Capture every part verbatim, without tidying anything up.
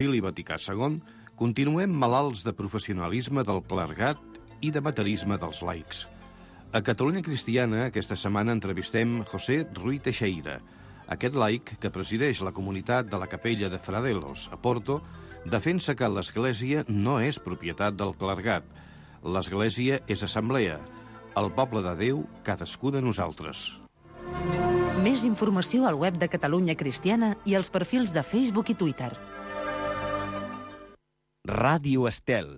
Concili Vaticà segon, continuem malalts de professionalisme del clergat i d'amateurisme dels laics. A Catalunya Cristiana, aquesta setmana entrevistem José Ruiz Teixeira. Aquest laic, que presideix la comunitat de la Capella de Fradelos, a Porto, defensa que l'Església no és propietat del clergat. L'Església és assemblea. El poble de Déu, cadascú de nosaltres. Més informació al web de Catalunya Cristiana i als perfils de Facebook i Twitter. Ràdio Estel.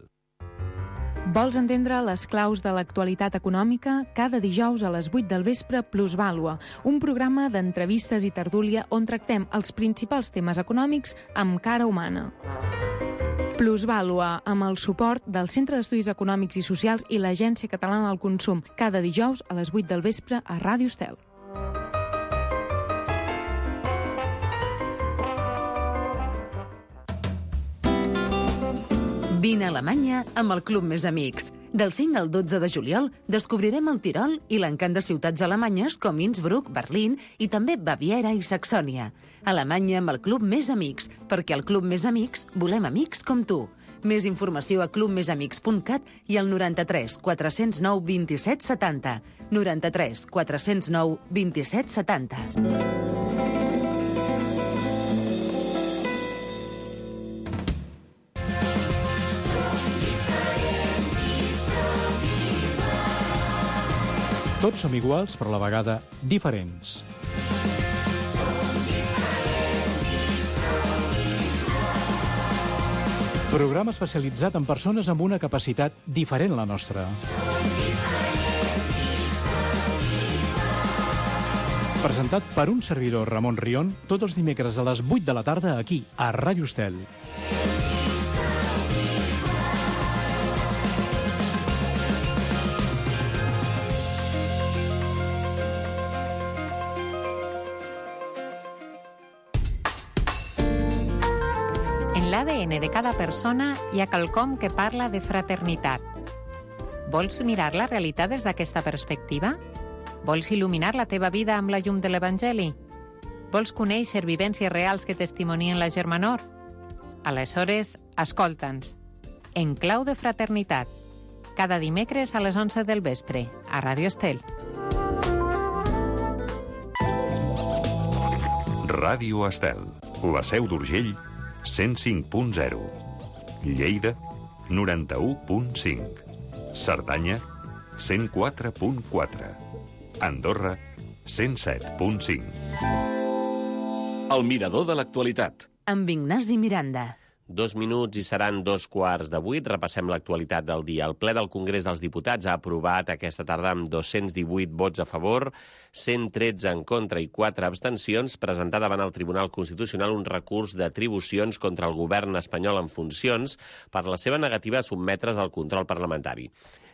Vols entendre les claus de l'actualitat econòmica? Cada dijous a les vuit del vespre, Plusvàlua, un programa d'entrevistes i tertúlia on tractem els principals temes econòmics amb cara humana. Plusvàlua, amb el suport del Centre d'Estudis Econòmics i Socials i l'Agència Catalana del Consum, cada dijous a les vuit del vespre a Ràdio Estel. Vine a Alemanya amb el Club Més Amics. Del cinc al dotze de juliol descobrirem el Tirol i l'encant de ciutats alemanyes com Innsbruck, Berlín i també Baviera i Saxònia. Alemanya amb el Club Més Amics, perquè al Club Més Amics volem amics com tu. Més informació a club més amics punt cat i al noranta-tres quatre zero nou vint-i-set setanta. noranta-tres quatre zero nou vint-i-set setanta. Tots som iguals, però a la vegada diferents. Programa especialitzat en persones amb una capacitat diferent a la nostra. Presentat per un servidor, Ramon Rion, tots els dimecres a les vuit de la tarda aquí, a Ràdio Estel. l'A D N de cada persona hi ha quelcom que parla de fraternitat. Vols mirar la realitat des d'aquesta perspectiva? Vols il·luminar la teva vida amb la llum de l'Evangeli? Vols conèixer vivències reals que testimonien la germanor? Aleshores, escolta'ns. En clau de fraternitat. Cada dimecres a les onze del vespre, a Ràdio Estel. Ràdio Estel, la Seu d'Urgell, cent cinc punt zero. Lleida, noranta-u punt cinc. Cerdanya, cent quatre punt quatre. Andorra, cent set punt cinc. El mirador de l'actualitat. Amb Ignasi Miranda. Dos minuts i seran dos quarts de vuit. Repassem l'actualitat del dia. El ple del Congrés dels Diputats ha aprovat aquesta tarda amb dos-cents divuit vots a favor, cent tretze en contra i quatre abstencions presentar davant el Tribunal Constitucional un recurs d'atribucions contra el govern espanyol en funcions per la seva negativa a sotmetre's al control parlamentari.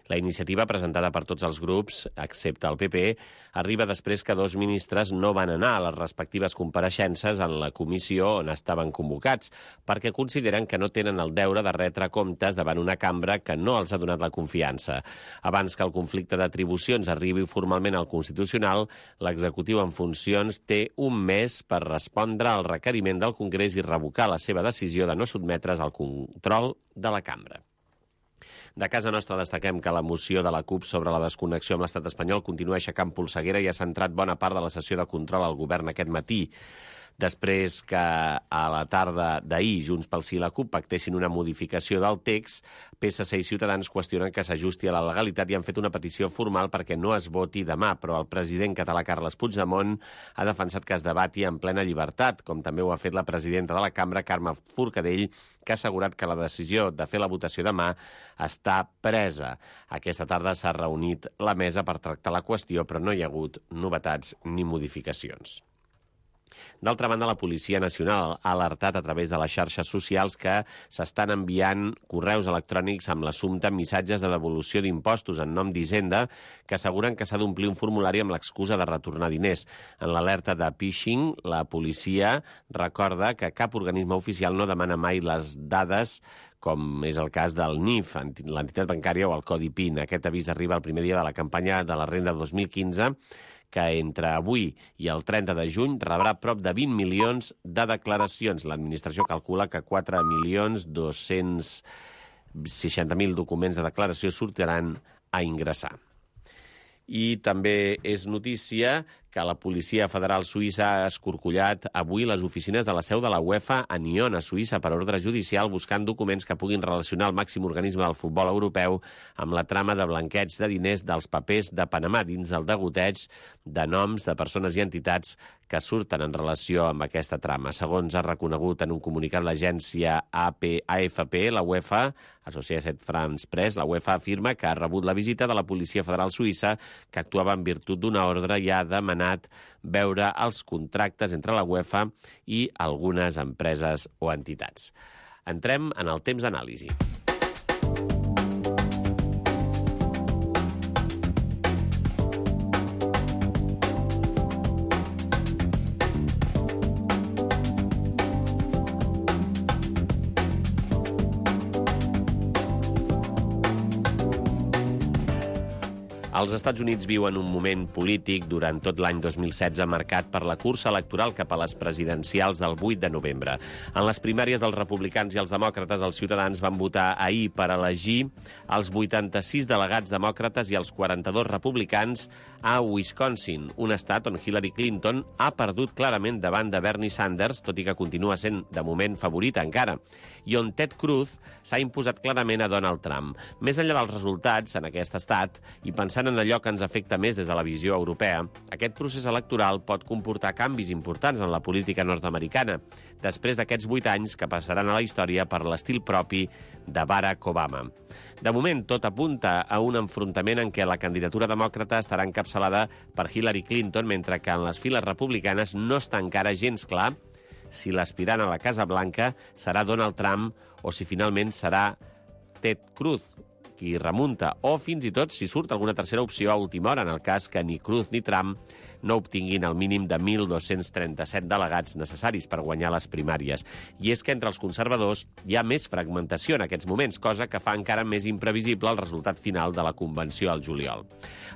La iniciativa, presentada per tots els grups, excepte el P P, arriba després que dos ministres no van anar a les respectives compareixences en la comissió on estaven convocats, perquè consideren que no tenen el deure de retre comptes davant una cambra que no els ha donat la confiança. Abans que el conflicte d'atribucions arribi formalment al Constitucional, l'executiu en funcions té un mes per respondre al requeriment del Congrés i revocar la seva decisió de no sotmetre's al control de la cambra. De casa nostra destaquem que la moció de la CUP sobre la desconnexió amb l'estat espanyol continua aixecant polseguera i ha centrat bona part de la sessió de control al govern aquest matí. Després que a la tarda d'ahir Junts pel Sí i la CUP pactessin una modificació del text, P S C i Ciutadans qüestionen que s'ajusti a la legalitat i han fet una petició formal perquè no es voti demà, però el president català Carles Puigdemont ha defensat que es debati en plena llibertat, com també ho ha fet la presidenta de la cambra, Carme Forcadell, que ha assegurat que la decisió de fer la votació demà està presa. Aquesta tarda s'ha reunit la mesa per tractar la qüestió, però no hi ha hagut novetats ni modificacions. D'altra banda, la Policia Nacional ha alertat a través de les xarxes socials que s'estan enviant correus electrònics amb l'assumpte missatges de devolució d'impostos en nom d'Hisenda que asseguren que s'ha d'omplir un formulari amb l'excusa de retornar diners. En l'alerta de phishing, la policia recorda que cap organisme oficial no demana mai les dades, com és el cas del N I F, l'entitat bancària o el Codi P I N. Aquest avís arriba el primer dia de la campanya de la renda dos mil quinze, que entre avui i el trenta de juny rebrà prop de vint milions de declaracions. L'administració calcula que quatre milions dos-cents seixanta mil documents de declaració sortiran a ingressar. I també és notícia que la Policia Federal Suïssa ha escorcollat avui les oficines de la seu de la UEFA a Nyon, a Suïssa, per ordre judicial, buscant documents que puguin relacionar el màxim organisme del futbol europeu amb la trama de blanqueig de diners dels papers de Panamà dins el degoteig de noms de persones i entitats que surten en relació amb aquesta trama. Segons ha reconegut en un comunicat l'agència A F P, la UEFA, Associated France Press, la UEFA afirma que ha rebut la visita de la Policia Federal Suïssa, que actuava en virtut d'una ordre i ha demanat veure els contractes entre la UEFA i algunes empreses o entitats. Entrem en el temps d'anàlisi. Els Estats Units viuen un moment polític durant tot l'any dos mil setze marcat per la cursa electoral cap a les presidencials del vuit de novembre. En les primàries dels republicans i els demòcrates, els ciutadans van votar ahir per elegir els vuitanta-sis delegats demòcrates i els quaranta-dos republicans a Wisconsin, un estat on Hillary Clinton ha perdut clarament davant de Bernie Sanders, tot i que continua sent, de moment, favorita encara, i on Ted Cruz s'ha imposat clarament a Donald Trump. Més enllà dels resultats en aquest estat, i pensant en allò que ens afecta més des de la visió europea, aquest procés electoral pot comportar canvis importants en la política nord-americana, després d'aquests vuit anys que passaran a la història per l'estil propi de Barack Obama. De moment, tot apunta a un enfrontament en què la candidatura demòcrata estarà encapçalada per Hillary Clinton, mentre que en les files republicanes no està encara gens clar si l'aspirant a la Casa Blanca serà Donald Trump o si finalment serà Ted Cruz, qui remunta, o fins i tot si surt alguna tercera opció a última hora, en el cas que ni Cruz ni Trump no obtinguin el mínim de mil dos-cents trenta-set delegats necessaris per guanyar les primàries. I és que entre els conservadors hi ha més fragmentació en aquests moments, cosa que fa encara més imprevisible el resultat final de la convenció al juliol.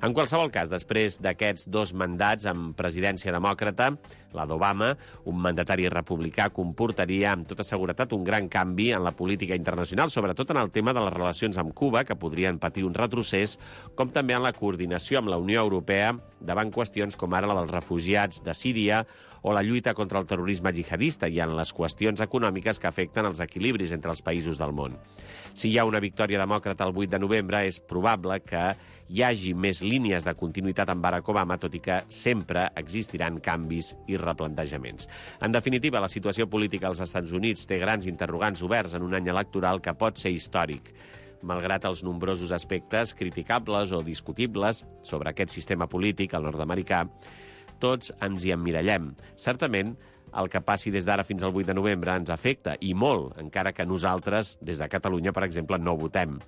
En qualsevol cas, després d'aquests dos mandats amb presidència demòcrata, la d'Obama, un mandatari republicà, comportaria amb tota seguretat un gran canvi en la política internacional, sobretot en el tema de les relacions amb Cuba, que podrien patir un retrocés, com també en la coordinació amb la Unió Europea davant qüestions com ara la dels refugiats de Síria o la lluita contra el terrorisme jihadista i en les qüestions econòmiques que afecten els equilibris entre els països del món. Si hi ha una victòria demòcrata el vuit de novembre, és probable que hi hagi més línies de continuïtat amb Barack Obama, tot i que sempre existiran canvis i replantejaments. En definitiva, la situació política als Estats Units té grans interrogants oberts en un any electoral que pot ser històric. Malgrat els nombrosos aspectes criticables o discutibles sobre aquest sistema polític, el nord-americà, tots ens hi emmirallem. Certament, el que passi des d'ara fins al vuit de novembre ens afecta, i molt, encara que nosaltres, des de Catalunya, per exemple, no votem.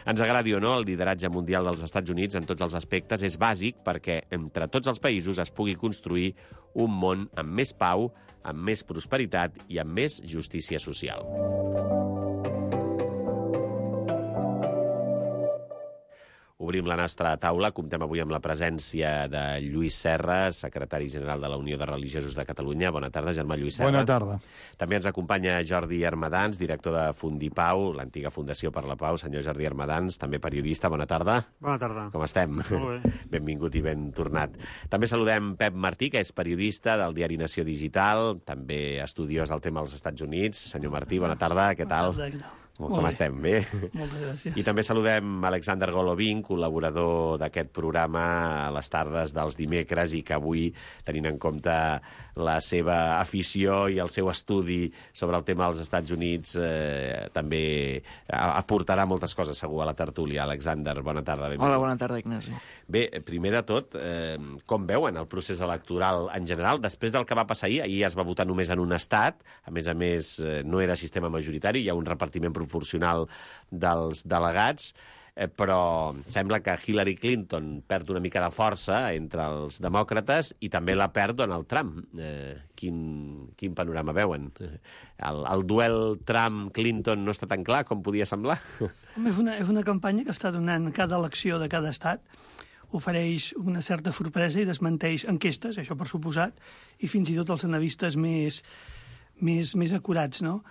Ens agradi o no, el lideratge mundial dels Estats Units en tots els aspectes és bàsic perquè entre tots els països es pugui construir un món amb més pau, amb més prosperitat i amb més justícia social. Obrim la nostra taula. Comptem avui amb la presència de Lluís Serra, secretari general de la Unió de Religiosos de Catalunya. Bona tarda, germà Lluís Serra. Bona tarda. També ens acompanya Jordi Hermedans, director de Fundipau, l'antiga Fundació per la Pau. Senyor Jordi Hermedans, també periodista. Bona tarda. Bona tarda. Com estem? Molt bé. Benvingut i ben tornat. També saludem Pep Martí, que és periodista del diari Nació Digital, també estudiós del tema dels Estats Units. Senyor Martí, bona tarda. Què tal? Bona tarda, què tal? Com Molt estem? Bé? Moltes gràcies. I també saludem Alexander Golovin, col·laborador d'aquest programa a les tardes dels dimecres i que avui, tenint en compte la seva afició i el seu estudi sobre el tema dels Estats Units, eh, també aportarà moltes coses segur a la tertúlia. Alexander, bona tarda. Benvingut. Hola, bona tarda, Ignasi. Bé, primer de tot, eh, com veuen el procés electoral en general? Després del que va passar ahir, ahir es va votar només en un estat, a més a més eh, no era sistema majoritari, hi ha un repartiment proporcional dels delegats, eh, però sembla que Hillary Clinton perd una mica de força entre els demòcrates i també la perd Donald Trump. Eh, quin, quin panorama veuen? El, el duel Trump-Clinton no està tan clar com podia semblar? Home, és una, és una campanya que està donant cada elecció de cada estat ofereix una certa sorpresa i desmenteix enquestes, això per suposat, i fins i tot els analistes més, més, més acurats, no?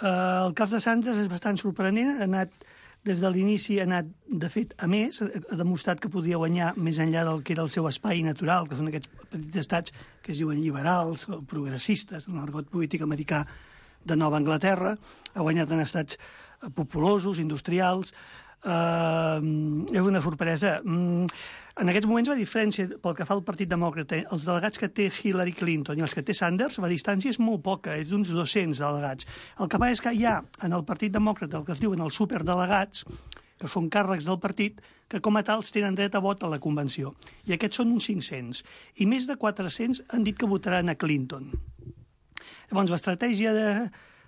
Eh, el cas de Sanders és bastant sorprenent, ha anat, des de l'inici ha anat, de fet, a més, ha demostrat que podia guanyar més enllà del que era el seu espai natural, que són aquests petits estats que es diuen liberals o progressistes, en l'argot polític americà de Nova Anglaterra, ha guanyat en estats populosos, industrials. Uh, és una sorpresa. Mm, en aquests moments, la diferència pel que fa al Partit Demòcrata, els delegats que té Hillary Clinton i els que té Sanders, la distància és molt poca, és d'uns dos-cents delegats. El que passa és que hi ha en el Partit Demòcrata el que es diuen els superdelegats, que són càrrecs del partit, que com a tals tenen dret a vot a la convenció. I aquests són uns cinc-cents. I més de quatre-cents han dit que votaran a Clinton. Llavors, l'estratègia de,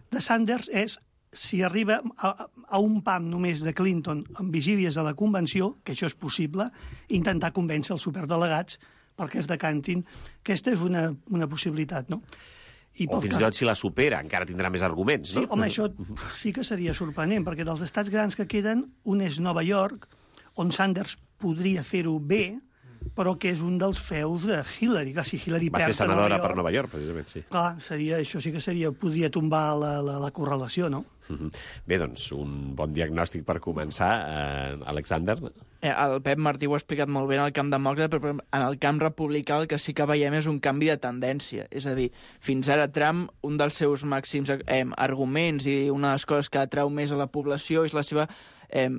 de Sanders és, si arriba a, a un pam només de Clinton amb vigílies a la convenció, que això és possible, intentar convèncer els superdelegats perquè es decantin. Aquesta és una, una possibilitat, no? I o fins i tot si la supera, encara tindrà més arguments, no? Sí, home, això sí que seria sorprenent, perquè dels estats grans que queden, un és Nova York, on Sanders podria fer-ho bé, però que és un dels feus de Hillary. Clar, si Hillary va perd ser senadora per Nova York, precisament, sí. Clar, seria, això sí que seria, podria tombar la, la, la correlació, no? Bé, doncs, un bon diagnòstic per començar. Eh, Alexander? Eh, el Pep Martí ho ha explicat molt bé en el camp demòcrata, però en el camp republicà el que sí que veiem és un canvi de tendència. És a dir, fins ara Trump, un dels seus màxims eh, arguments i una de les coses que atrau més a la població és la seva eh,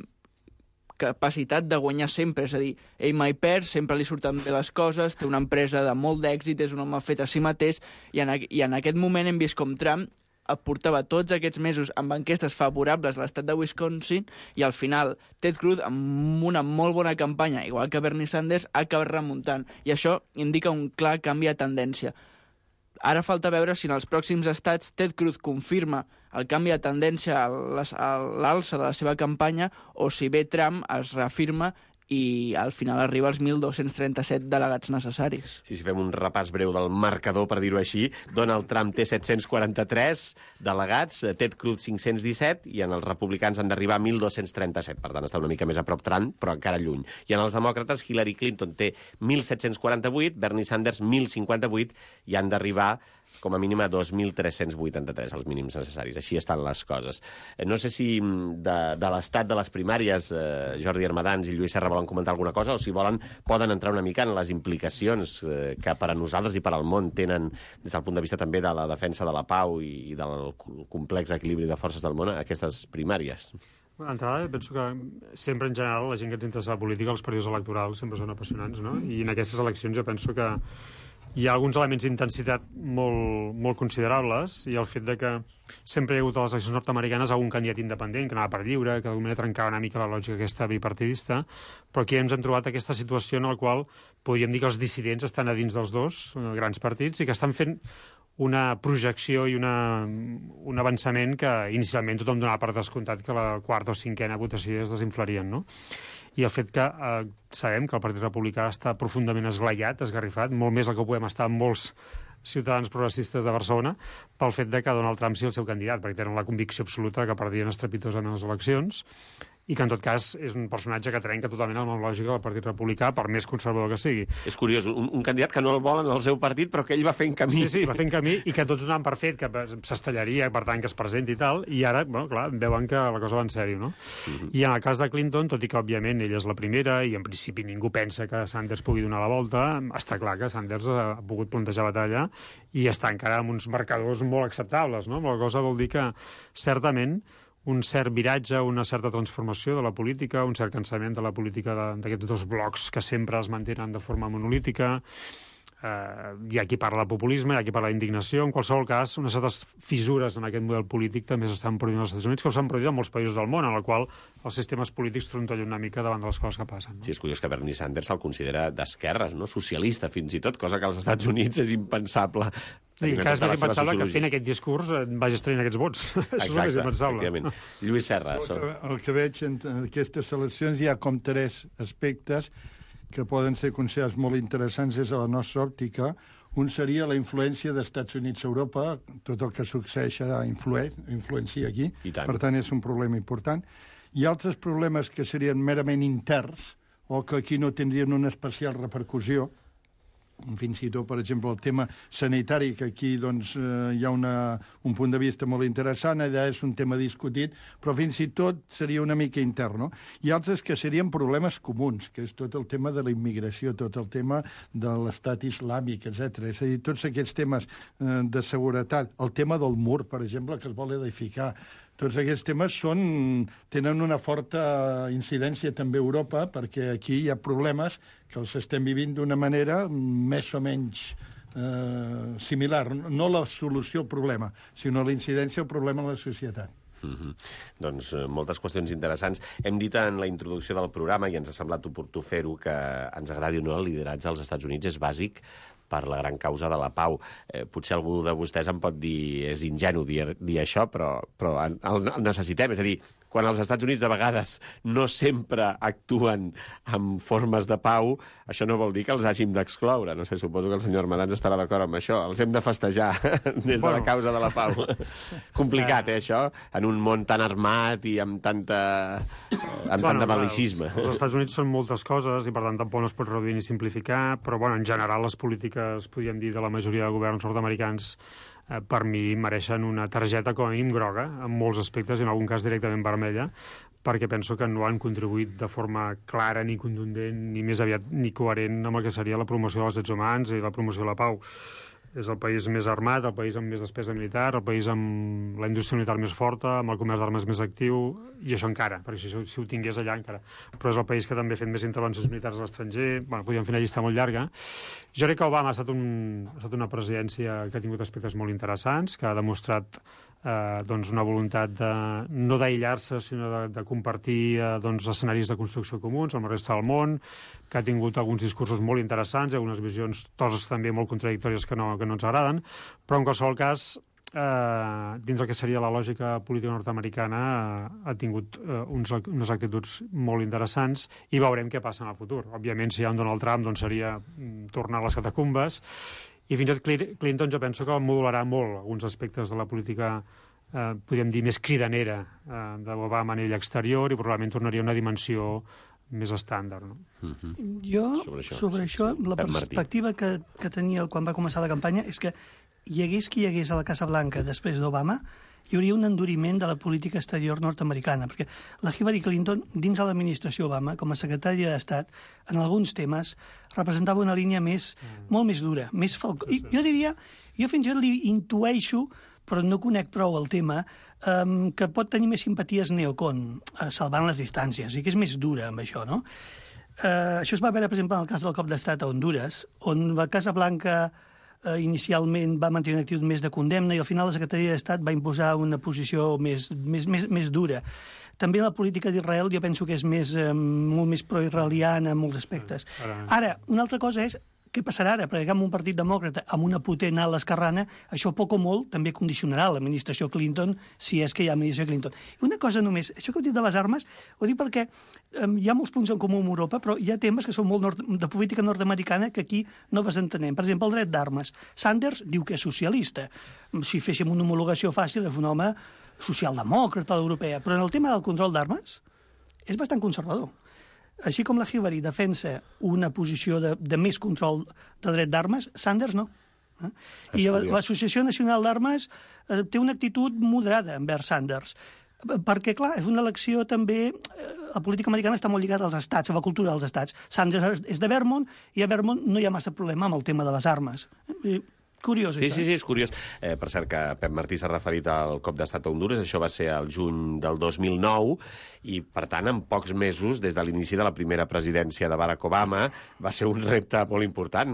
capacitat de guanyar sempre. És a dir, ell mai perd, sempre li surten bé les coses, té una empresa de molt d'èxit, és un home fet a si mateix, i en, i en aquest moment hem vist com Trump portava tots aquests mesos amb enquestes favorables a l'estat de Wisconsin i al final Ted Cruz, amb una molt bona campanya, igual que Bernie Sanders, ha acabat remuntant. I això indica un clar canvi de tendència. Ara falta veure si en els pròxims estats Ted Cruz confirma el canvi de tendència a l'alça de la seva campanya o si bé Trump es reafirma i al final arriba als mil dos-cents trenta-set delegats necessaris. Sí, si fem un repàs breu del marcador, per dir-ho així, Donald Trump té set-cents quaranta-tres delegats, Ted Cruz cinc-cents disset, i en els republicans han d'arribar a mil dos-cents trenta-set, per tant està una mica més a prop Trump, però encara lluny. I en els demòcrates, Hillary Clinton té mil set-cents quaranta-vuit, Bernie Sanders mil cinquanta-vuit, i han d'arribar com a mínim a dos mil tres-cents vuitanta-tres, els mínims necessaris. Així estan les coses. No sé si de, de l'estat de les primàries eh, Jordi Armadans i Lluís Serra volen comentar alguna cosa, o si volen poden entrar una mica en les implicacions eh, que per a nosaltres i per al món tenen, des del punt de vista també de la defensa de la pau i, i del complex equilibri de forces del món, aquestes primàries. D'entrada, penso que sempre en general la gent que ens interessa la política, els períodes electorals sempre són apassionants, no? I en aquestes eleccions jo penso que hi ha alguns elements d'intensitat molt, molt considerables, i el fet de que sempre hi ha hagut a les eleccions nord-americanes algun candidat independent que anava per lliure, que d'alguna manera trencava una mica la lògica aquesta bipartidista, però aquí ens hem trobat aquesta situació en la qual podríem dir que els dissidents estan a dins dels dos grans partits i que estan fent una projecció i una, un avançament que inicialment tothom donava per descomptat que la quarta o cinquena votació es desinflarien, no? I el fet que eh, sabem que el Partit Republicà està profundament esglaiat, esgarrifat, molt més del que podem estar amb molts ciutadans progressistes de Barcelona, pel fet de que Donald Trump sigui el seu candidat, perquè tenen la convicció absoluta que perdien estrepitosament les eleccions, i que en tot cas és un personatge que trenca totalment amb la lògica del Partit Republicà, per més conservador que sigui. És curiós, un, un candidat que no el volen al seu partit, però que ell va fent camí. Sí, sí, va fent camí, i que tots donaven per fet que s'estellaria, per tant, que es presenti i tal, i ara, bueno, clar, veuen que la cosa va en sèrio, no? Uh-huh. I en el cas de Clinton, tot i que, òbviament, ella és la primera, i en principi ningú pensa que Sanders pugui donar la volta, està clar que Sanders ha pogut plantejar batalla i està encara amb uns marcadors molt acceptables, no? La cosa vol dir que, certament, un cert viratge, una certa transformació de la política, un cert cansament de la política d'aquests dos blocs que sempre es mantenen de forma monolítica. Eh, hi ha qui parla de populisme, hi ha qui parla d'indignació. En qualsevol cas, unes certes fissures en aquest model polític també s'estan produint als Estats Units, que s'han produït en molts països del món, en el qual els sistemes polítics trontollen una mica davant de les coses que passen. No? Sí, és curiós que Bernie Sanders se'l considera d'esquerres, no? Socialista, fins i tot, cosa que als Estats Units és impensable. Sí, que és més impensable que fent aquest discurs vagi traient aquests vots. Això és més impensable. Lluís Serra. El que, el que veig en aquestes eleccions hi ha com tres aspectes que poden ser considerats molt interessants des de la nostra òptica. Un seria la influència dels Estats Units a Europa, tot el que succeeix influeix, influencia aquí, per tant és un problema important. Hi ha altres problemes que serien merament interns, o que aquí no tindrien una especial repercussió. Fins i tot, per exemple, el tema sanitari, que aquí doncs, eh, hi ha una, un punt de vista molt interessant, allà és un tema discutit, però fins i tot seria una mica intern, no? I altres que serien problemes comuns, que és tot el tema de la immigració, tot el tema de l'estat islàmic, etcètera. És a dir, tots aquests temes eh, de seguretat, el tema del mur, per exemple, que es vol edificar, tots aquests temes són, tenen una forta incidència també a Europa, perquè aquí hi ha problemes que els estem vivint d'una manera més o menys eh, similar. No la solució al problema, sinó la incidència al problema en la societat. Mm-hmm. Doncs eh, moltes qüestions interessants. Hem dit en la introducció del programa, i ens ha semblat oportú fer-ho, que ens agradi o no el lideratge als Estats Units és bàsic per la gran causa de la pau. Eh, potser algú de vostès em pot dir és ingenu dir, dir això, però, però el, el necessitem. És a dir, quan els Estats Units de vegades no sempre actuen amb formes de pau, això no vol dir que els hàgim d'excloure. No sé, suposo que el senyor Armadans estarà d'acord amb això. Els hem de festejar des de bueno. la causa de la pau. Complicat, eh, això? En un món tan armat i amb tanta amb bueno, tant de bel·licisme. Els, els Estats Units són moltes coses i, per tant, tampoc no es pot reduir ni simplificar, però, bueno, en general, les polítiques, podríem dir, de la majoria de governs nord-americans eh, per mi mereixen una targeta com a mínim groga, en molts aspectes, i en algun cas directament vermella, perquè penso que no han contribuït de forma clara ni contundent, ni més aviat ni coherent amb el que seria la promoció dels drets humans i la promoció de la pau. És el país més armat, el país amb més despesa militar, el país amb la indústria militar més forta, amb el comerç d'armes més actiu, i això encara, perquè si, si ho tingués allà encara. Però és el país que també ha fet més intervencions militars a l'estranger. Bueno, podríem fer una llista molt llarga. Jo crec que Obama ha estat, un, ha estat una presidència que ha tingut aspectes molt interessants, que ha demostrat eh, doncs una voluntat de, no d'aïllar-se, sinó de, de compartir eh, doncs, escenaris de construcció comuns amb la resta del món, que ha tingut alguns discursos molt interessants i algunes visions, coses també molt contradictòries que no, que no ens agraden, però en qualsevol cas, eh, dins del que seria la lògica política nord-americana, eh, ha tingut eh, uns, unes actituds molt interessants i veurem què passa en el futur. Òbviament, si hi ha un Donald Trump, doncs seria mm, tornar a les catacumbes, i fins i tot Clinton jo penso que modularà molt alguns aspectes de la política eh, podríem dir, més cridanera eh, d'Obama a nivell exterior, i probablement tornaria a una dimensió més estàndard, no? Mm-hmm. Jo, sobre això, sobre això sí, sí. la perspectiva que, que tenia quan va començar la campanya és que hi hagués qui hi hagués a la Casa Blanca després d'Obama, hi hauria un enduriment de la política exterior nord-americana, perquè la Hillary Clinton, dins de l'administració Obama, com a secretària d'Estat, en alguns temes, representava una línia més, mm. molt més dura, més falcó. I jo diria, jo fins i tot li intueixo, però no conec prou el tema, um, que pot tenir més simpaties neocon, uh, salvant les distàncies, i que és més dura amb això, no? Uh, això es va veure, per exemple, en el cas del cop d'estat a Honduras, on la Casa Blanca uh, inicialment va mantenir una actitud més de condemna i al final la Secretaria d'Estat va imposar una posició més, més, més, més dura. També la política d'Israel jo penso que és més, um, molt més pro-israeliana en molts aspectes. Ara, una altra cosa és què passarà ara? Perquè amb un partit demòcrata, amb una potent ala esquerrana, això poc o molt també condicionarà l'administració Clinton, si és que hi ha administració Clinton. I una cosa només, això que heu dit de les armes, ho dic perquè um, hi ha molts punts en comú amb Europa, però hi ha temes que són molt nord de política nord-americana que aquí no les entenem. Per exemple, el dret d'armes. Sanders diu que és socialista. Si féssim una homologació fàcil, és un home socialdemòcrata europea. Però en el tema del control d'armes és bastant conservador. Així com la Hillary defensa una posició de, de més control de dret d'armes, Sanders no. Eh? I l'Associació Nacional d'Armes eh, té una actitud moderada envers Sanders, perquè, clar, és una elecció també... Eh, la política americana està molt lligada als estats, a la cultura dels estats. Sanders és de Vermont, i a Vermont no hi ha massa problema amb el tema de les armes. Eh? Curiós, sí, això. Sí, sí, és curiós. Eh, per cert, que Pep Martí s'ha referit al cop d'estat a Honduras, això va ser el juny del dos mil nou, i, per tant, en pocs mesos, des de l'inici de la primera presidència de Barack Obama, va ser un repte molt important,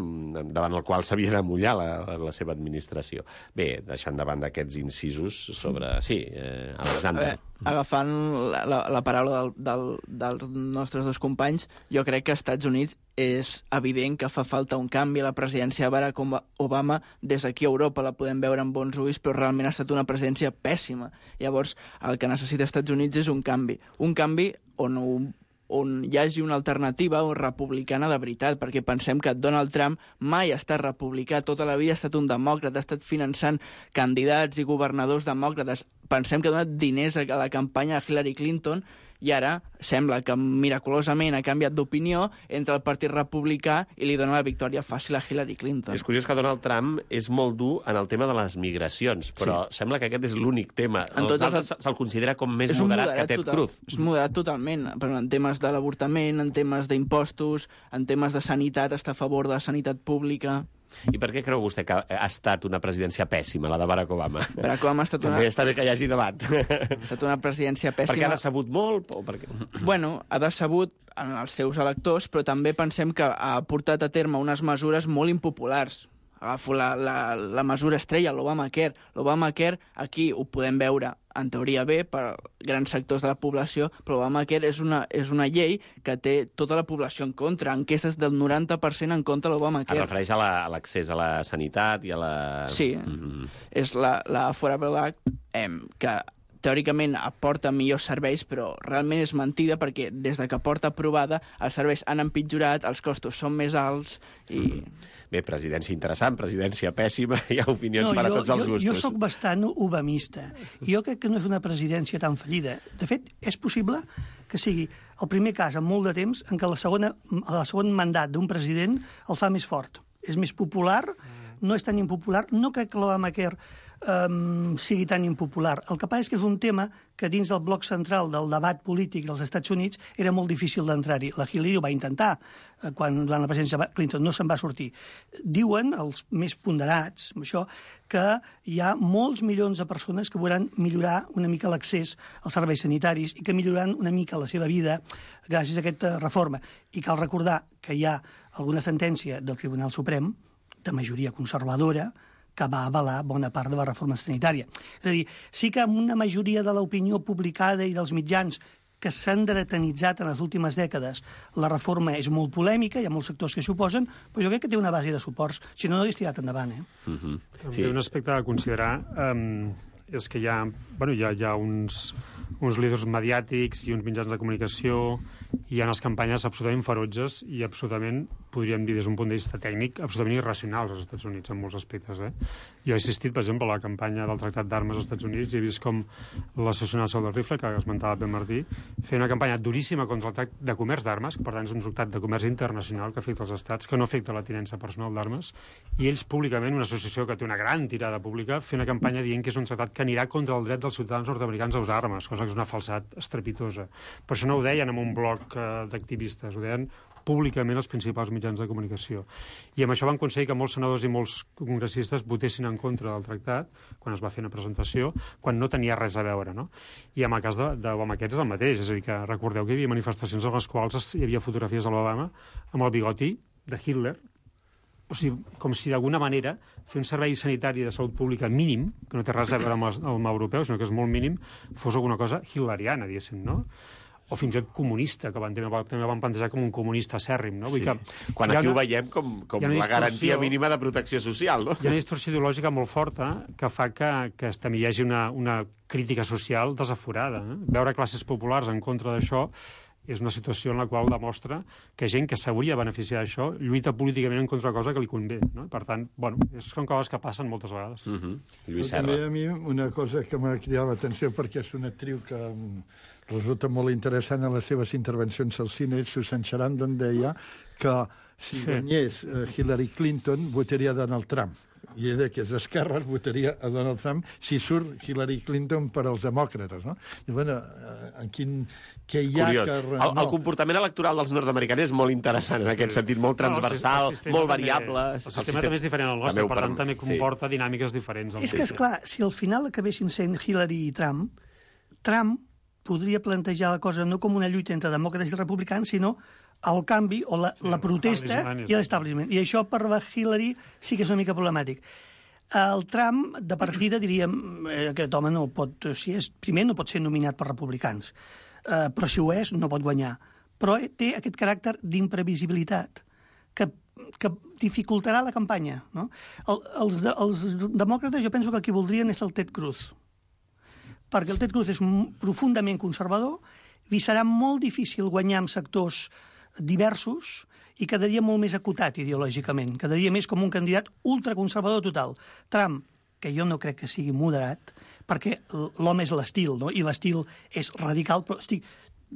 davant el qual s'havia de mullar la, la seva administració. Bé, deixant de banda aquests incisos sobre... Sí, eh, Alexander. Veure, agafant la, la, la paraula del, del, dels nostres dos companys, jo crec que als Estats Units és evident que fa falta un canvi a la presidència de Barack Obama. Des d'aquí a Europa la podem veure amb bons ulls, però realment ha estat una presidència pèssima. Llavors, el que necessita els Estats Units és un canvi. Un canvi on, on hi hagi una alternativa o republicana de veritat, perquè pensem que Donald Trump mai ha estat republicà, tota la vida ha estat un demòcrata, ha estat finançant candidats i governadors demòcrates. Pensem que ha donat diners a la campanya de Hillary Clinton i ara sembla que miraculosament ha canviat d'opinió entre el Partit Republicà i li dona la victòria fàcil a Hillary Clinton. És curiós que Donald Trump és molt dur en el tema de les migracions, però sí. sembla que aquest és l'únic tema. En els altres els... se'l considera com més moderat, moderat que Ted total, Cruz. És moderat totalment, però en temes de l'avortament, en temes d'impostos, en temes de sanitat, està a favor de la sanitat pública. I per què creu vostè que ha estat una presidència pèssima, la de Barack Obama? Barack Obama ha estat una... També està bé que hi hagi debat. Ha estat una presidència pèssima. Perquè ha decebut molt? O perquè... Bueno, ha decebut en els seus electors, però també pensem que ha portat a terme unes mesures molt impopulars. Agafo la, la, la mesura estrella, l'Obamacare. L'Obamacare, aquí ho podem veure, en teoria bé, per grans sectors de la població, però l'Obamacare és una, és una llei que té tota la població en contra. Enquestes del noranta per cent en contra de l'Obamacare. Es refereix a l'accés a la sanitat i a la... Sí, mm-hmm. és la, la Affordable Act, eh, que teòricament aporta millors serveis, però realment és mentida perquè des de que porta aprovada els serveis han empitjorat, els costos són més alts i... Mm. Bé, presidència interessant, presidència pèssima, hi ha opinions no, per a tots els gustos. Jo, jo sóc bastant obamista. I jo crec que no és una presidència tan fallida. De fet, és possible que sigui el primer cas en molt de temps en què la segona, el segon mandat d'un president el fa més fort. És més popular, no és tan impopular. No crec que l'Obamacare Um, sigui tan impopular. El que passa és que és un tema que dins del bloc central del debat polític dels Estats Units era molt difícil d'entrar-hi. La Hillary ho va intentar eh, quan durant la presidència de Clinton no se'n va sortir. Diuen els més ponderats, això, que hi ha molts milions de persones que veuran millorar una mica l'accés als serveis sanitaris i que milloraran una mica la seva vida gràcies a aquesta reforma. I cal recordar que hi ha alguna sentència del Tribunal Suprem de majoria conservadora que va avalar bona part de la reforma sanitària. És a dir, sí que amb una majoria de l'opinió publicada i dels mitjans que s'han dretanitzat en les últimes dècades, la reforma és molt polèmica, hi ha molts sectors que s'hi oposen, però jo crec que té una base de suports, si no, no hagués tirat endavant. Eh? Uh-huh. També sí. Un aspecte a considerar um, és que hi ha, bueno, hi ha, hi ha uns, uns líders mediàtics i uns mitjans de comunicació, hi ha unes campanyes absolutament ferotges i absolutament, podríem dir des d'un punt de vista tècnic, absolutament irracionals als Estats Units en molts aspectes. Eh? Jo he assistit, per exemple, a la campanya del Tractat d'Armes als Estats Units i he vist com l'Associació Nacional del Rifle, que esmentava Ben Martí, feia una campanya duríssima contra el tractat de comerç d'armes, que per tant és un tractat de comerç internacional que afecta els estats, que no afecta la tinença personal d'armes, i ells públicament, una associació que té una gran tirada pública, feia una campanya dient que és un tractat que anirà contra el dret dels ciutadans nord-americans a usar armes, cosa que és una falsedat estrepitosa. Per això no ho deien en un bloc eh, d'activistes, ho deien públicament els principals mitjans de comunicació. I amb això van aconseguir que molts senadors i molts congressistes votessin en contra del tractat quan es va fer una presentació, quan no tenia res a veure, no? I en el cas d'Obamacare és el mateix, és a dir, que recordeu que hi havia manifestacions en les quals hi havia fotografies de l'Obama amb el bigoti de Hitler, o sigui, com si d'alguna manera fer un servei sanitari de salut pública mínim, que no té res a veure amb el, amb el europeu, sinó que és molt mínim, fos alguna cosa hitleriana, diguéssim, no? O fins i tot comunista, que van, també van plantejar com un comunista acèrrim, no? Sí. Vull que quan aquí una, ho veiem com, com la garantia mínima de protecció social, no? Hi ha una distorsió ideològica molt forta que fa que, que també hi hagi una, una crítica social desaforada. Eh? Veure classes populars en contra d'això és una situació en la qual demostra que gent que s'hauria de beneficiar d'això lluita políticament en contra de cosa que li convé, no? Per tant, bueno, és, són coses que passen moltes vegades. Uh-huh. Lluís Serra. També a mi una cosa que m'ha cridat l'atenció, perquè és una actriu que resulta molt interessant en les seves intervencions al cine, Susan Sarandon deia que si sí. guanyés uh, Hillary Clinton votaria Donald Trump. I ella, que és d'esquerres, votaria a Donald Trump si surt Hillary Clinton per als demòcrates, no? I, bueno, en quin... Què hi ha Curiós. que... El, el comportament electoral dels nord-americans és molt interessant, en aquest sentit, molt transversal, no, molt variable. El sistema, el sistema també és diferent al nostre, per tant, també comporta sí. dinàmiques diferents. És que, esclar, si al final acabessin sent Hillary i Trump, Trump podria plantejar la cosa no com una lluita entre demòcrates i republicans, sinó el canvi o la, sí, la protesta i l'establishment. I això per la Hillary sí que és una mica problemàtic. El Trump, de partida, diríem, eh, aquest home no pot, si és, primer no pot ser nominat per republicans, eh, però si ho és, no pot guanyar. Però té aquest caràcter d'imprevisibilitat que, que dificultarà la campanya. No? El, els, de, els demòcrates, jo penso que el que voldrien és el Ted Cruz, perquè el Ted Cruz és profundament conservador, li serà molt difícil guanyar amb sectors diversos i quedaria molt més acotat ideològicament, quedaria més com un candidat ultraconservador total. Trump, que jo no crec que sigui moderat, perquè l'home és l'estil, no? I l'estil és radical, però estic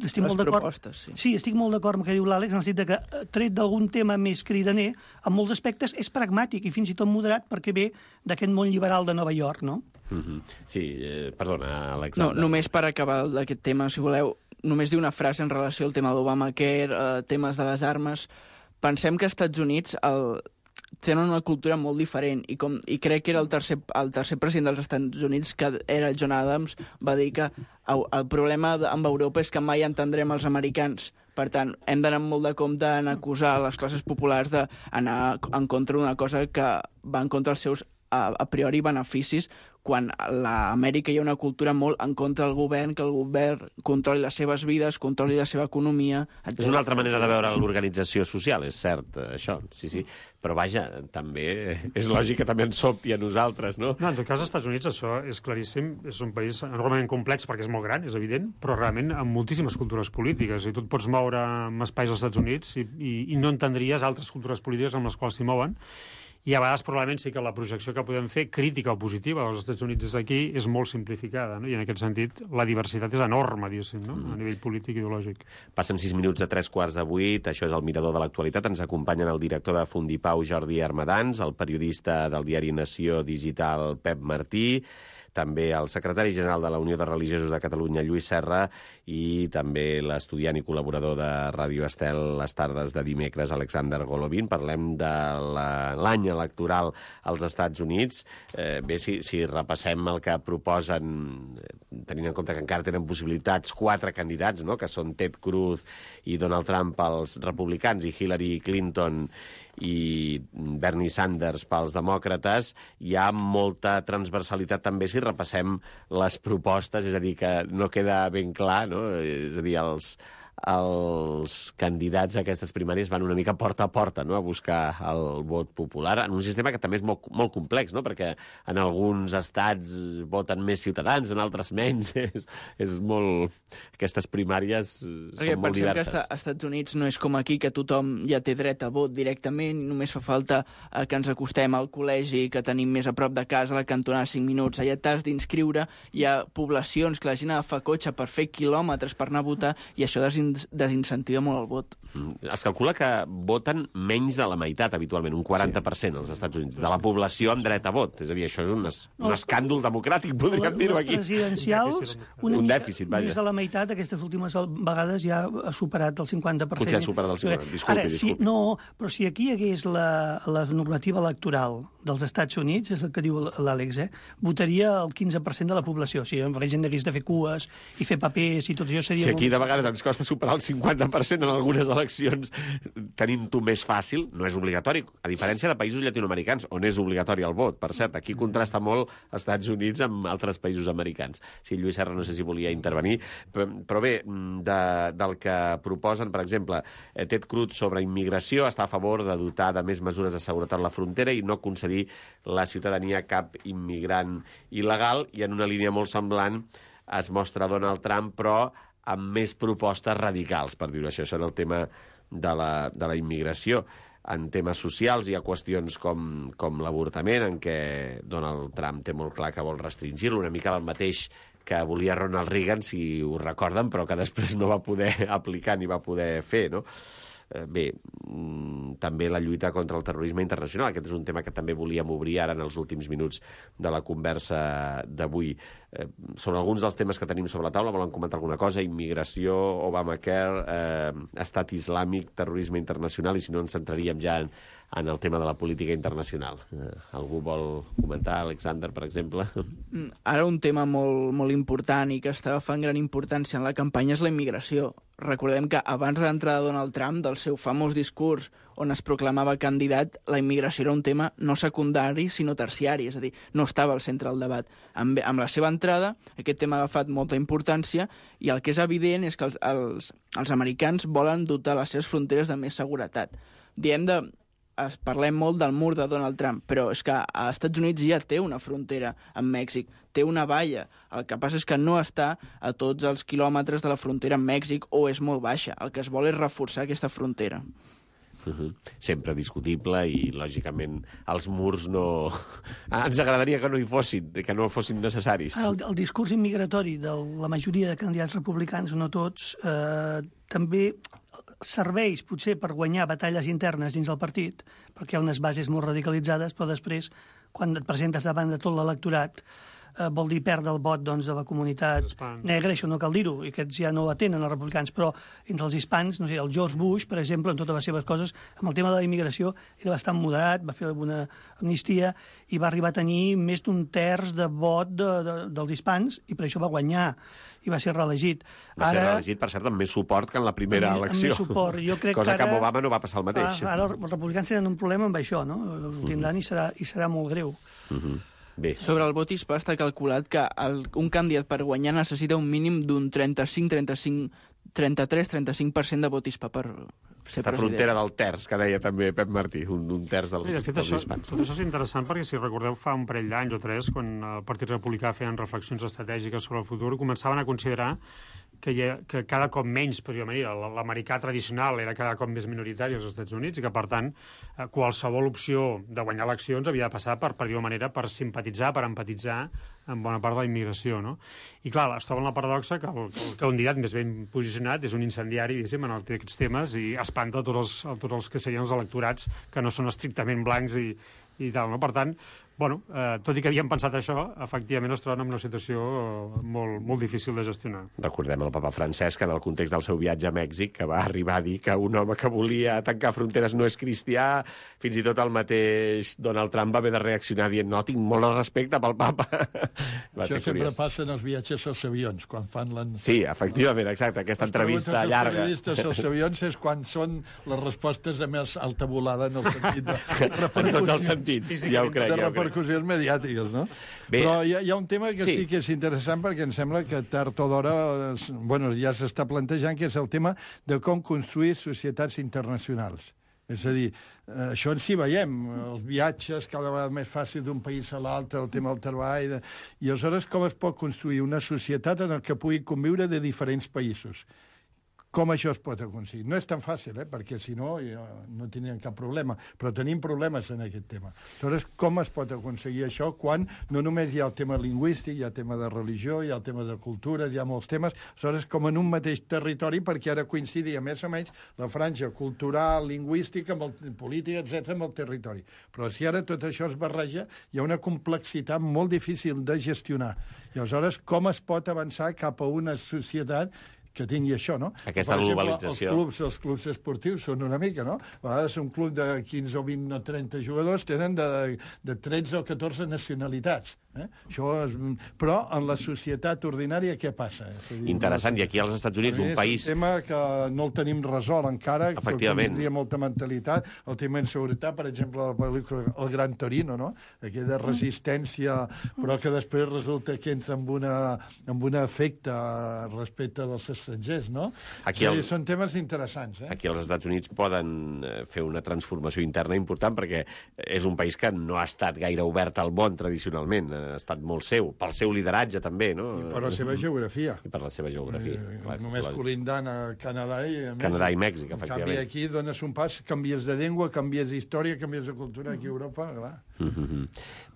estic les molt d'acord. propostes, sí. Sí, estic molt d'acord amb el que diu l'Àlex, en el sentit que, tret d'algun tema més cridaner, en molts aspectes és pragmàtic i fins i tot moderat perquè ve d'aquest món liberal de Nova York, no? Mm-hmm. Sí, eh, perdona, No, Alexander. només per acabar d'aquest tema, si voleu, només dir una frase en relació al tema d'Obamacare, eh, temes de les armes. Pensem que als Estats Units el, tenen una cultura molt diferent i, com, i crec que era el tercer, el tercer president dels Estats Units, que era John Adams, va dir que el, el problema amb Europa és que mai entendrem els americans. Per tant, hem d'anar molt de compte en acusar les classes populars d'anar en contra d'una cosa que va en contra dels seus a, a priori beneficis, quan a l'Amèrica hi ha una cultura molt en contra del govern, que el govern controli les seves vides, controli la seva economia, etcètera. És una altra manera de veure l'organització social, és cert, això, sí, sí. Però vaja, també és lògic que també ens sobti a nosaltres, no? No, en tot cas, als Estats Units això és claríssim, és un país enormement complex perquè és molt gran, és evident, però realment amb moltíssimes cultures polítiques, i tu et pots moure amb espais als Estats Units i, i, i no entendries altres cultures polítiques amb les quals s'hi mouen. I a vegades probablement sí que la projecció que podem fer, crítica o positiva dels Estats Units des d'aquí, és molt simplificada, no? I en aquest sentit la diversitat és enorme, diguéssim, no? A nivell polític i ideològic. Passen sis minuts de tres quarts de vuit, això és el Mirador de l'Actualitat. Ens acompanyen el director de Fundipau, Jordi Armadans, el periodista del diari Nació Digital, Pep Martí, també el secretari general de la Unió de Religiosos de Catalunya, Lluís Serra, i també l'estudiant i col·laborador de Ràdio Estel les tardes de dimecres, Alexander Golovin. Parlem de l'any electoral als Estats Units. Eh, bé, si, si repassem el que proposen, tenint en compte que encara tenen possibilitats quatre candidats, no?, que són Ted Cruz i Donald Trump pels republicans i Hillary Clinton i Bernie Sanders pels demòcrates, hi ha molta transversalitat també si repassem les propostes, és a dir, que no queda ben clar, no? És a dir, els, els candidats a aquestes primàries van una mica porta a porta, no?, a buscar el vot popular, en un sistema que també és molt, molt complex, no?, perquè en alguns estats voten més ciutadans, en altres menys. És, és molt... Aquestes primàries perquè són molt diverses. Pensem que als Estats Units no és com aquí, que tothom ja té dret a vot directament, només fa falta eh, que ens acostem al col·legi que tenim més a prop de casa, a la cantonada cinc minuts. Allà t'has d'inscriure, hi ha poblacions que la gent agafa cotxe per fer quilòmetres per anar a votar, i això desin- desincentiva molt el vot. Mm. Es calcula que voten menys de la meitat, habitualment, un quaranta per cent als Estats Units, de la població amb dret a vot. És a dir, això és un, es, un escàndol democràtic, podríem dir-ho aquí. Les presidencials, una un mica dèficit, vaja. més de la meitat, aquestes últimes vegades ja ha superat el cinquanta per cent. Potser ha superat el cinquanta per cent, disculpi, Ara, si, disculpi. no, però si aquí hi hagués la, la normativa electoral dels Estats Units, és el que diu l'Àlex, eh, votaria el quinze per cent de la població. O sigui, la gent hagués de fer cues i fer papers i tot això seria... Si aquí molt... de vegades ens costa superar el cinquanta per cent en algunes eleccions, tenim-ho més fàcil, no és obligatori, a diferència de països llatinoamericans, on és obligatori el vot. Per cert, aquí contrasta molt els Estats Units amb altres països americans. Sí, Lluís Serra no sé si volia intervenir, però, però bé, de, del que proposen, per exemple, Ted Cruz sobre immigració està a favor de dotar de més mesures de seguretat a la frontera i no concedir la ciutadania a cap immigrant il·legal, i en una línia molt semblant es mostra Donald Trump, però amb més propostes radicals, per dir-ho això. Això era el tema de la, de la immigració. En temes socials hi ha qüestions com, com l'avortament, en què Donald Trump té molt clar que vol restringir-lo, una mica el mateix que volia Ronald Reagan, si ho recorden, però que després no va poder aplicar ni va poder fer, no? Bé, també la lluita contra el terrorisme internacional. Aquest és un tema que també volíem obrir ara en els últims minuts de la conversa d'avui. Sobre alguns dels temes que tenim sobre la taula, volen comentar alguna cosa? Immigració, Obamacare, eh, estat islàmic, terrorisme internacional, i si no ens centraríem ja en, en el tema de la política internacional. Eh, algú vol comentar, Alexander, per exemple? Ara un tema molt, molt important i que està agafant gran importància en la campanya és la immigració. Recordem que abans de l'entrada de Donald Trump, del seu famós discurs on es proclamava candidat, la immigració era un tema no secundari, sinó terciari, és a dir, no estava al centre del debat. Amb, amb la seva entrada, aquest tema ha agafat molta importància, i el que és evident és que els, els, els americans volen dotar les seves fronteres de més seguretat. Diem de... Es, parlem molt del mur de Donald Trump, però és que als Estats Units ja té una frontera amb Mèxic, té una valla. El que passa és que no està a tots els quilòmetres de la frontera amb Mèxic, o és molt baixa. El que es vol és reforçar aquesta frontera. Uh -huh. Sempre discutible i, lògicament, els murs no... Ens agradaria que no hi fossin, que no fossin necessaris. El, el discurs immigratori de la majoria de candidats republicans, no tots, eh, també serveix potser per guanyar batalles internes dins del partit, perquè hi ha unes bases molt radicalitzades, però després, quan et presentes davant de tot l'electorat, eh, vol dir perdre el vot doncs, de la comunitat negra, això no cal dir-ho, i aquests ja no atenen els republicans, però entre els hispans, no sé, el George Bush, per exemple, en totes les seves coses, amb el tema de la immigració era bastant moderat, va fer alguna amnistia i va arribar a tenir més d'un terç de vot de, de, dels hispans, i per això va guanyar i va ser reelegit. Va ser ara, reelegit, per cert, amb més suport que en la primera amb, elecció. Amb més suport. Jo crec Cosa que, ara, que amb Obama no va passar el mateix. Ara, ara els republicans tenen un problema amb això, no? El tindran uh -huh. i, serà, i serà molt greu. Uh -huh. Bé. Sobre el vot hispà està calculat que el, un candidat per guanyar necessita un mínim d'un trenta-cinc, trenta-cinc, trenta-tres, trenta-cinc per cent de vot hispà per ser Aquesta president. frontera del terç, que deia també Pep Martí, un, un terç dels, I de fet, dels això, hispans. tot això és interessant perquè, si recordeu, fa un parell d'anys o tres, quan el Partit Republicà feien reflexions estratègiques sobre el futur, començaven a considerar que, ha, que cada cop menys, per dir-ho manera, l'americà tradicional era cada cop més minoritari als Estats Units i que, per tant, qualsevol opció de guanyar eleccions havia de passar per, per dir-ho manera, per simpatitzar, per empatitzar amb bona part de la immigració, no? I, clar, es troba en la paradoxa que el, el candidat més ben posicionat és un incendiari, diguéssim, en aquests temes i espanta tots els, tots els que serien els electorats que no són estrictament blancs i, i tal, no? Per tant, bueno, eh, tot i que havíem pensat això, efectivament es troben en una situació molt, molt difícil de gestionar. Recordem el papa Francesc, en el context del seu viatge a Mèxic, que va arribar a dir que un home que volia tancar fronteres no és cristià. Fins i tot el mateix Donald Trump va haver de reaccionar dient no, tinc molt de respecte pel papa. Va Això ser sempre curiós. passa en els viatges als avions, quan fan la... Sí, efectivament, exacte, aquesta les entrevista llarga. Els periodistes als avions és quan són les respostes de més alta volada en el sentit de repercussions. En tots els sentits, ja ho crec. De ja ho crec. repercussions mediàtiques, no? Bé. Però hi ha, hi ha un tema que sí. Sí. sí que és interessant perquè em sembla que tard o d'hora es- bueno, ja s'està plantejant, que és el tema de com construir societats internacionals. És a dir, eh, això en si veiem, els viatges cada vegada més fàcil d'un país a l'altre, el tema del treball... De... I aleshores com es pot construir una societat en què pugui conviure de diferents països? Com això es pot aconseguir? No és tan fàcil, eh? Perquè si no, no tindríem cap problema. Però tenim problemes en aquest tema. Aleshores, com es pot aconseguir això quan no només hi ha el tema lingüístic, hi ha el tema de religió, hi ha el tema de cultura, hi ha molts temes, aleshores com en un mateix territori, perquè ara coincidia més o menys la franja cultural, lingüística, amb el polític, etcètera, amb el territori. Però si ara tot això es barreja, hi ha una complexitat molt difícil de gestionar. I aleshores, com es pot avançar cap a una societat que tingui això, no? Aquesta per exemple, globalització. Els clubs, els clubs esportius són una mica, no? A vegades un club de quinze o vint o trenta jugadors tenen de, de tretze o catorze nacionalitats. Eh? Això és... Però en la societat ordinària què passa? És a dir, Interessant, i aquí als Estats Units, un país... És un tema que no el tenim resolt encara, Efectivament. que tindria molta mentalitat. El tema inseguretat, per exemple, la pel·lícula El Gran Torino, no? Aquella resistència, però que després resulta que entra amb, una, amb un efecte respecte dels estrangers, no? Aquí els... els- Són temes interessants, eh? Aquí als Estats Units poden eh, fer una transformació interna important perquè és un país que no ha estat gaire obert al món tradicionalment, ha estat molt seu, pel seu lideratge també, no? I per la seva geografia. I per la seva geografia. Eh, clar, Només clar. colindant a Canadà i a Mèxic. Canadà i Mèxic, En efectivament. canvi, aquí dones un pas, canvies de llengua, canvies d'història, canvies de cultura. Aquí a Europa, clar. Mm-hmm.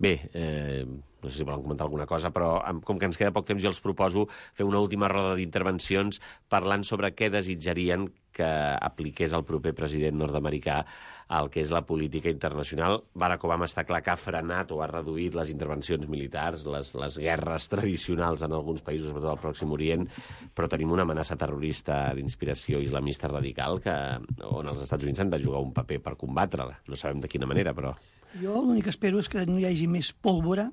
Bé, eh, no sé si volen comentar alguna cosa, però em- com que ens queda poc temps, jo els proposo fer una última roda d'intervencions parlant sobre què desitjarien que apliqués el proper president nord-americà al que és la política internacional. Barack Obama està clar que ha frenat o ha reduït les intervencions militars, les, les guerres tradicionals en alguns països, sobretot al Pròxim Orient, però tenim una amenaça terrorista d'inspiració islamista radical que, on els Estats Units han de jugar un paper per combatre-la. No sabem de quina manera, però... Jo l'únic que espero és que no hi hagi més pólvora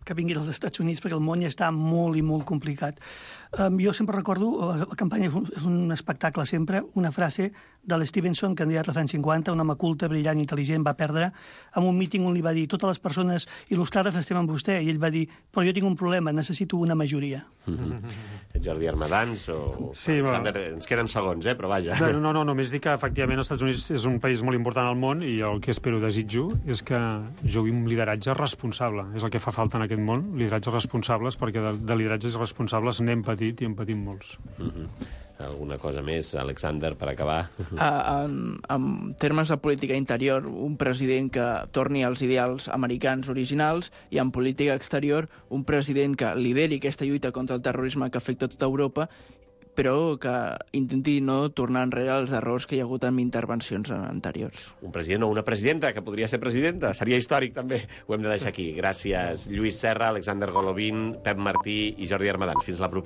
que vingui dels Estats Units, perquè el món ja està molt i molt complicat. Um, jo sempre recordo, la, la campanya és un, és un espectacle sempre, una frase de l'Stevenson, candidat als anys cinquanta, un home culte, brillant, intel·ligent, va perdre, en un míting on li va dir totes les persones il·lustrades estem amb vostè, i ell va dir, però jo tinc un problema, necessito una majoria. Mm-hmm. Jordi Armadans o... Sí, Alexander, ens queden segons, eh? Però vaja. No, no, no, només dic que efectivament els Estats Units és un país molt important al món i el que espero, desitjo, és que jugui un lideratge responsable. És el que fa falta en aquest món, lideratges responsables, perquè de, de lideratges responsables n'hem patit i en patim molts. Mm-hmm. alguna cosa més, Alexander, per acabar? Uh, en, en termes de política interior, un president que torni als ideals americans originals, i en política exterior, un president que lideri aquesta lluita contra el terrorisme que afecta tota Europa, però que intenti no tornar enrere els errors que hi ha hagut en intervencions anteriors. Un president o una presidenta, que podria ser presidenta. Seria històric, també. Ho hem de deixar aquí. Gràcies, Lluís Serra, Alexander Golovin, Pep Martí i Jordi Armadans. Fins la propera.